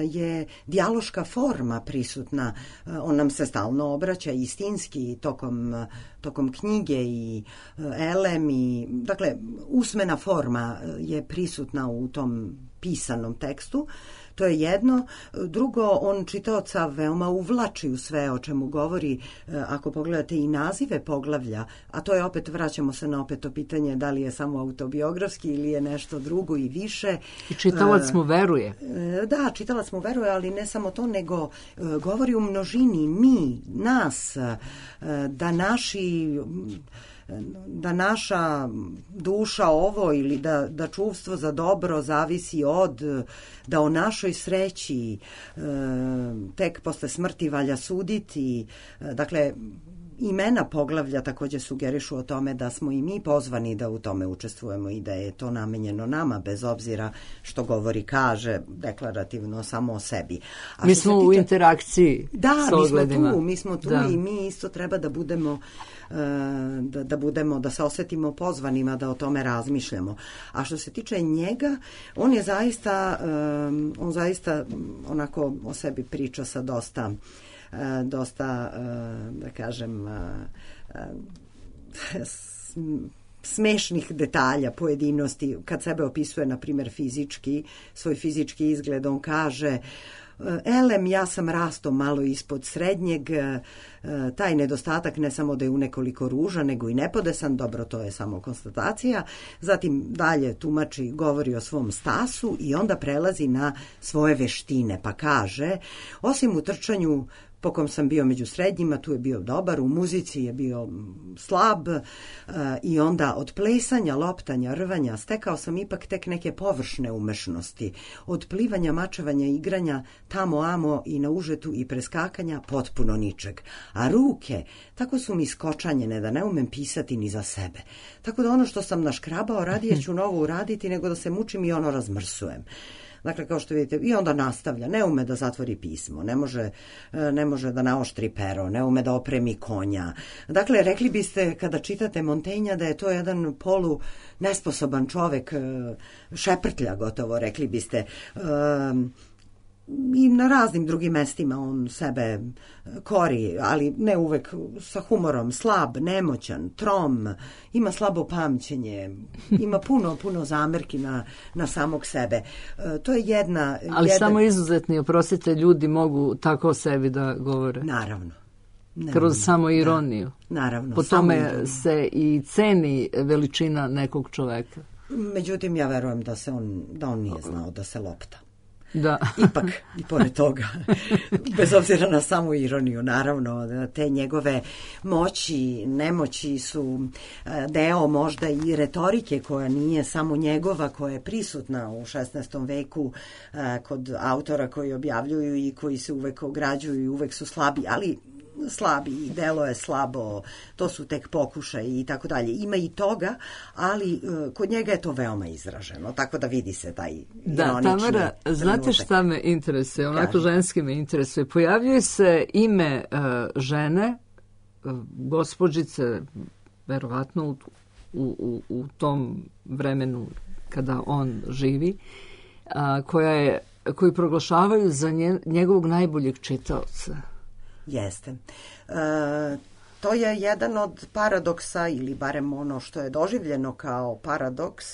je dijaloška forma prisutna, e, on nam se stalno obraća istinski tokom, tokom knjige i elem i, dakle, usmena forma je prisutna u tom pisanom tekstu. To je jedno. Drugo, on čitaoca veoma uvlači u sve o čemu govori. Ako pogledate i nazive poglavlja, a to je opet, vraćamo se na opet to pitanje da li je samo autobiografski ili je nešto drugo i više. I čitalac mu veruje. Da, čitalac mu veruje, ali ne samo to, nego govori u množini, mi, nas, da naši da naša duša ovo ili da, da čuvstvo za dobro zavisi od, da o našoj sreći e, tek posle smrti valja suditi. E, dakle, imena poglavlja takođe sugerišu o tome da smo i mi pozvani da u tome učestvujemo i da je to namenjeno nama, bez obzira što govori, kaže deklarativno samo o sebi. A mi smo tiče, u interakciji da, s ogledima. Da, mi smo tu, mi smo tu da. I mi isto treba da budemo Da, da budemo, da se osetimo pozvanima da o tome razmišljamo. A što se tiče njega, on je zaista um, on zaista onako o sebi priča sa dosta uh, dosta uh, da kažem uh, uh, smešnih detalja, pojedinosti. Kad sebe opisuje, na primjer, fizički, svoj fizički izgled, on kaže: elem, ja sam rasto malo ispod srednjeg, taj nedostatak ne samo da je u nekoliko ruža, nego i nepodesan, dobro, to je samo konstatacija. Zatim dalje tumači, govori o svom stasu i onda prelazi na svoje veštine, pa kaže: osim u trčanju po kom sam bio među srednjima, tu je bio dobar, u muzici je bio slab, e, i onda od plesanja, loptanja, rvanja stekao sam ipak tek neke površne umešnosti. Od plivanja, mačevanja, igranja, tamo amo i na užetu i preskakanja potpuno ničeg. A ruke, tako su mi skočanjene da ne umem pisati ni za sebe. Tako da ono što sam naškrabao, radije ću novo uraditi nego da se mučim i ono razmrsujem. Dakle, kao što vidite, i onda nastavlja, ne ume da zatvori pismo, ne može, ne može da naoštri pero, ne ume da opremi konja. Dakle, rekli biste, kada čitate Montaigna, da je to jedan polu nesposoban čovek, šeprtlja gotovo, rekli biste. i na raznim drugim mestima on sebe kori, ali ne uvek sa humorom, slab, nemoćan, trom, ima slabo pamćenje, ima puno, puno zamerki na, na samog sebe. E, to je jedna... Ali jedan... samo izuzetni, oprostite, ljudi mogu tako o sebi da govore. Naravno. Naravno. Kroz samo ironiju. Da, naravno. Po tome se i ceni veličina nekog čoveka. Međutim, ja verujem da, se on, da on nije znao da se lopta. Da. Ipak, i pored toga, bez obzira na samu ironiju, naravno, te njegove moći, nemoći su deo možda i retorike koja nije samo njegova, koja je prisutna u šesnaestom veku kod autora koji objavljuju i koji se uvek ograđuju i uvek su slabi, ali slabi i delo je slabo, to su tek pokušaj i tako dalje. Ima i toga, ali uh, kod njega je to veoma izraženo, tako da vidi se taj da, ironični Tamara, znate šta me interesuje, onako Kaži. ženski me interesuje. Pojavljuje se ime uh, žene, uh, gospođice, verovatno u, u, u tom vremenu kada on živi, uh, koja je, koju proglašavaju za nje, njegovog najboljeg čitaoca. Jeste. E, to je jedan od paradoksa, ili barem ono što je doživljeno kao paradoks,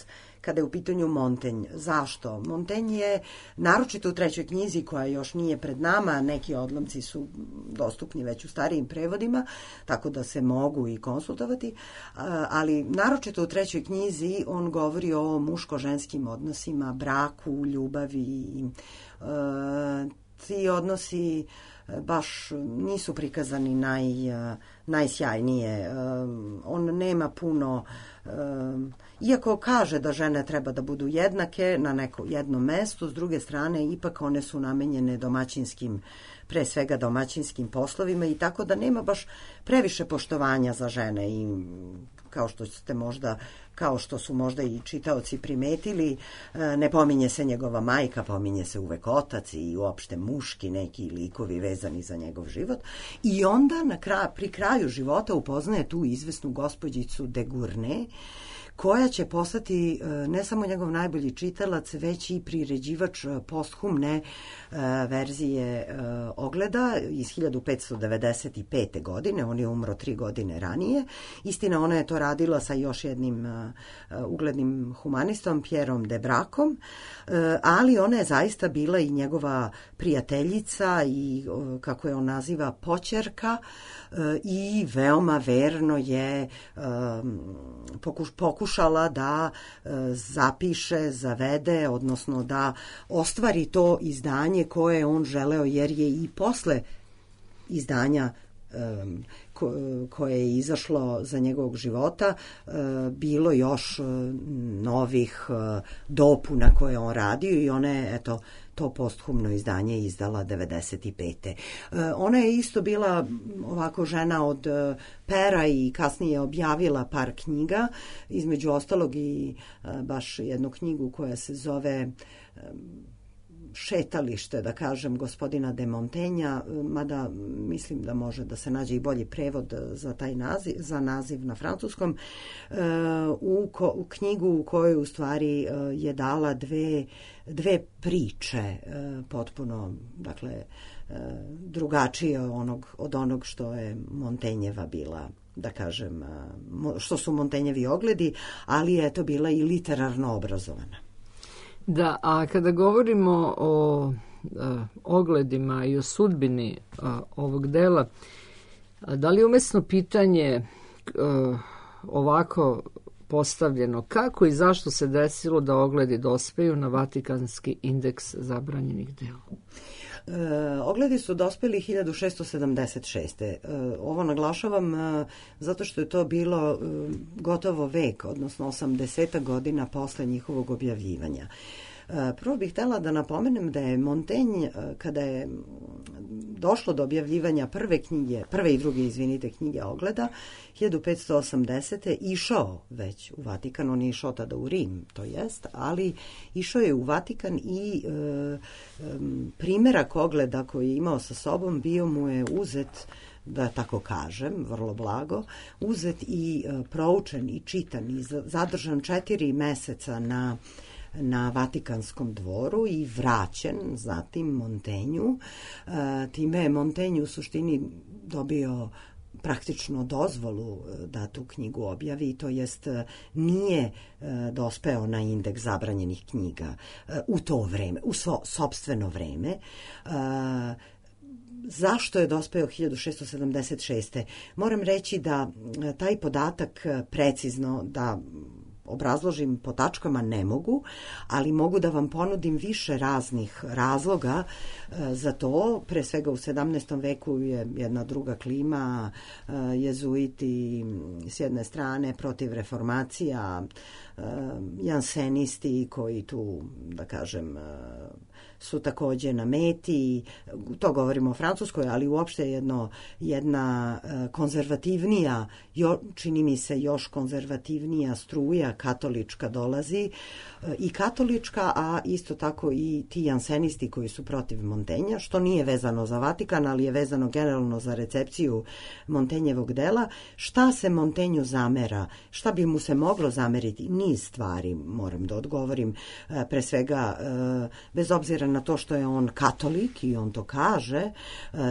kada je u pitanju Montaigne. Zašto? Montaigne je, naročito u trećoj knjizi koja još nije pred nama, neki odlomci su dostupni već u starijim prevodima, tako da se mogu i konsultovati, ali naročito u trećoj knjizi on govori o muško-ženskim odnosima, braku, ljubavi. E, ti odnosi baš nisu prikazani naj, najsjajnije. On nema puno, iako kaže da žene treba da budu jednake na neko jednom mestu, s druge strane ipak one su namenjene domaćinskim, pre svega domaćinskim poslovima i tako da nema baš previše poštovanja za žene i kao što ste možda kao što su možda i čitaoci primetili, ne pominje se njegova majka, pominje se uvek otac i uopšte muški neki likovi vezani za njegov život. I onda na kraj, pri kraju života upoznaje tu izvesnu gospođicu de Gournay, koja će postati ne samo njegov najbolji čitalac, već i priređivač posthumne verzije Ogleda iz hiljadu petsto devedeset pete. godine. On je umro tri godine ranije. Istina, ona je to radila sa još jednim uglednim humanistom, Pierom de Bracom, ali ona je zaista bila i njegova prijateljica i, kako je on naziva, poćerka i veoma verno je pokuš, pokušala da zapiše, zavede, odnosno da ostvari to izdanje koje je on želeo, jer je i posle izdanja ko, koje je izašlo za njegovog života bilo još novih dopuna koje on radio i ona je, eto, to posthumno izdanje izdala devedeset pete. Ona je isto bila ovako žena od pera i kasnije objavila par knjiga, između ostalog i baš jednu knjigu koja se zove Šetalište, da kažem, gospodina de Montaigna, mada mislim da može da se nađe i bolji prevod za taj naziv, za naziv na francuskom, u, ko, u knjigu u kojoj u stvari je dala dve, dve priče potpuno, dakle, drugačije onog, od onog što je Montaigneova bila, da kažem, što su Montaigneovi ogledi, ali je to bila i literarno obrazovana. Da, a kada govorimo o uh, ogledima i o sudbini uh, ovog dela, da li je umesno pitanje uh, ovako postavljeno, kako i zašto se desilo da ogledi dospeju na Vatikanski indeks zabranjenih dela? E, ogledi su dospeli hiljadu šesto sedamdeset šeste. E, ovo naglašavam e, zato što je to bilo e, gotovo vek, odnosno osamdeset godina posle njihovog objavljivanja. E, prvo bih htela da napomenem da je Montaigne, e, kada je došlo do objavljivanja prve knjige, prve i druge, izvinite, knjige Ogleda, hiljadu petsto osamdesete. išao već u Vatikan, on je išao tada u Rim, to jest, ali išao je u Vatikan i e, e, primjerak Ogleda koji je imao sa sobom bio mu je uzet, da tako kažem, vrlo blago, uzet i e, proučen i čitan i zadržan četiri meseca na na Vatikanskom dvoru i vraćen zatim Montenju. Time je Montaigne u suštini dobio praktično dozvolu da tu knjigu objavi, to jest nije dospeo na indeks zabranjenih knjiga u to vreme, u svo sopstveno vreme. Zašto je dospeo hiljadu šesto sedamdeset šeste. Moram reći da taj podatak precizno da obrazložim po tačkama ne mogu, ali mogu da vam ponudim više raznih razloga za to. Pre svega u sedamnaestom veku je jedna druga klima, jezuiti s jedne strane protiv reformacija, jansenisti koji tu, da kažem, su takođe na meti, to govorimo o Francuskoj, ali uopšte jedno, jedna konzervativnija, jo, čini mi se još konzervativnija struja katolička dolazi, i katolička, a isto tako i ti jansenisti koji su protiv Montenja, što nije vezano za Vatikan, ali je vezano generalno za recepciju Montenjevog dela. Šta se Montenju zamera? Šta bi mu se moglo zameriti? Niz stvari, moram da odgovorim. Pre svega, bez obzira na to što je on katolik i on to kaže,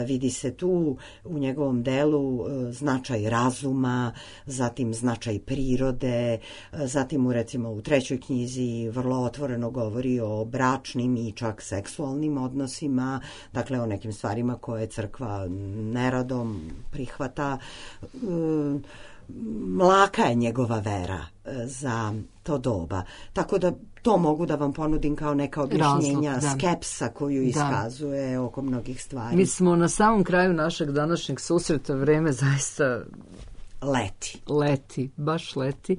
vidi se tu u njegovom delu značaj razuma, zatim značaj prirode, zatim u recimo u trećoj knjizi vrlo otvoreno govori o bračnim i čak seksualnim odnosima, dakle o nekim stvarima koje crkva neradom prihvata. Mlaka je njegova vera za to doba. Tako da to mogu da vam ponudim kao neka objašnjenja. Razlog, skepsa koju iskazuje da. Oko mnogih stvari. Mi smo na samom kraju našeg današnjeg susreta, vreme zaista leti. Leti, baš leti.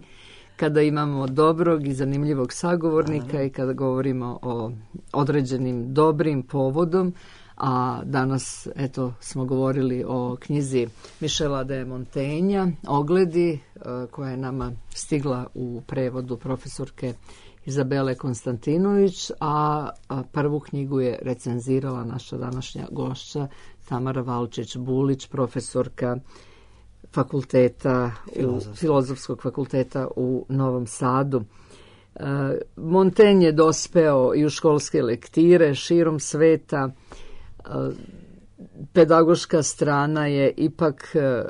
Kada imamo dobrog i zanimljivog sagovornika Aha. i kada govorimo o određenim dobrim povodom, a danas eto smo govorili o knjizi Michela de Montaigna, Ogledi, koja je nama stigla u prevodu profesorke Izabele Konstantinović, a prvu knjigu je recenzirala naša današnja gošća Tamara Valčić-Bulić, profesorka fakulteta, u, filozofskog fakulteta u Novom Sadu. E, Montaigne je dospeo i u školske lektire širom sveta. E, pedagoška strana je ipak e,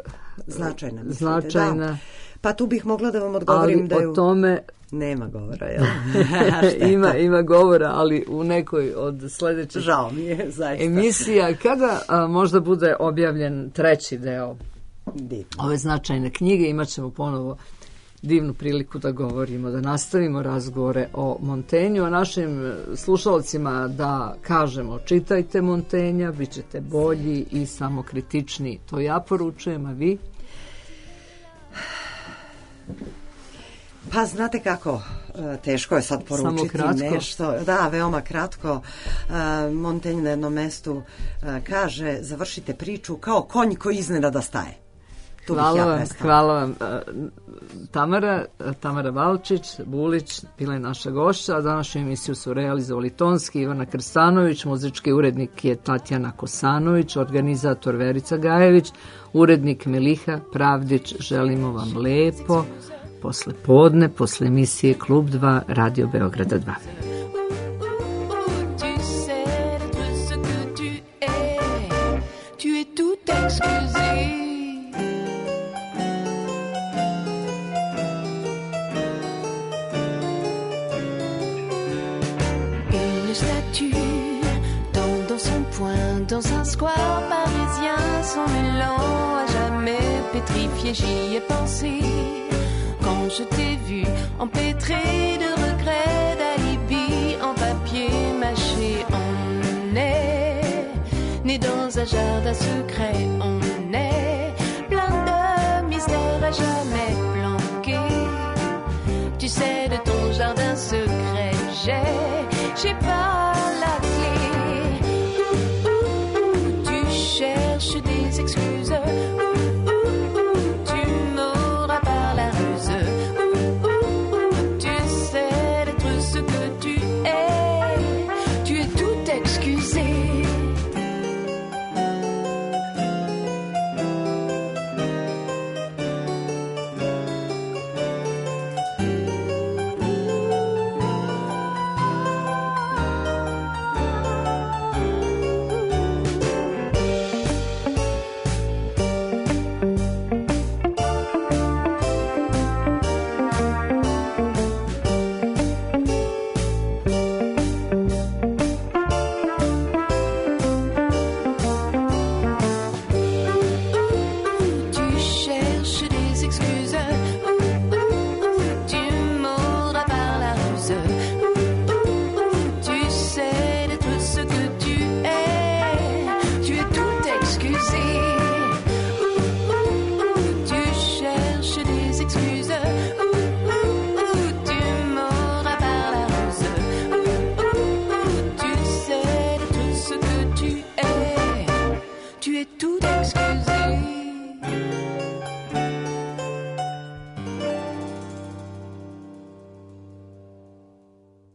značajna. značajna. Da. Pa tu bih mogla da vam odgovorim ali da je... o tome nema govora, jel? ima, ima govora, ali u nekoj od sledećih Žao mi je, zaista. emisija. Kada a, možda bude objavljen treći deo Divno. ove značajne knjige, imat ćemo ponovo divnu priliku da govorimo, da nastavimo razgovore o Montaignu, a našim slušalcima da kažemo čitajte Montaigna, bit ćete bolji i samokritični. To ja poručujem, a vi? Pa znate kako, teško je sad poručiti nešto. Da, veoma kratko. Montaigne na jednom mestu kaže, završite priču kao konj koji iznenada staje. Tu hvala ja vam, hvala vam. Tamara, Tamara Valčić-Bulić bila je naša gošća, a današnju emisiju su realizovali tonski Ivana Krstanović, muzički urednik je Tatjana Kosanović, organizator Verica Gajević, urednik Miliha Pravdić. Želimo vam lepo posle podne, posle emisije Klub dva Radio Beograda dva. Dans un square parisien, son élan à jamais pétrifié, j'y ai pensé. Quand je t'ai vu empêtré de regrets, d'alibi en papier mâché, on est né dans un jardin secret, on est plein de mystères à jamais planqués. Tu sais, de ton jardin secret, j'ai, j'ai pas la clé.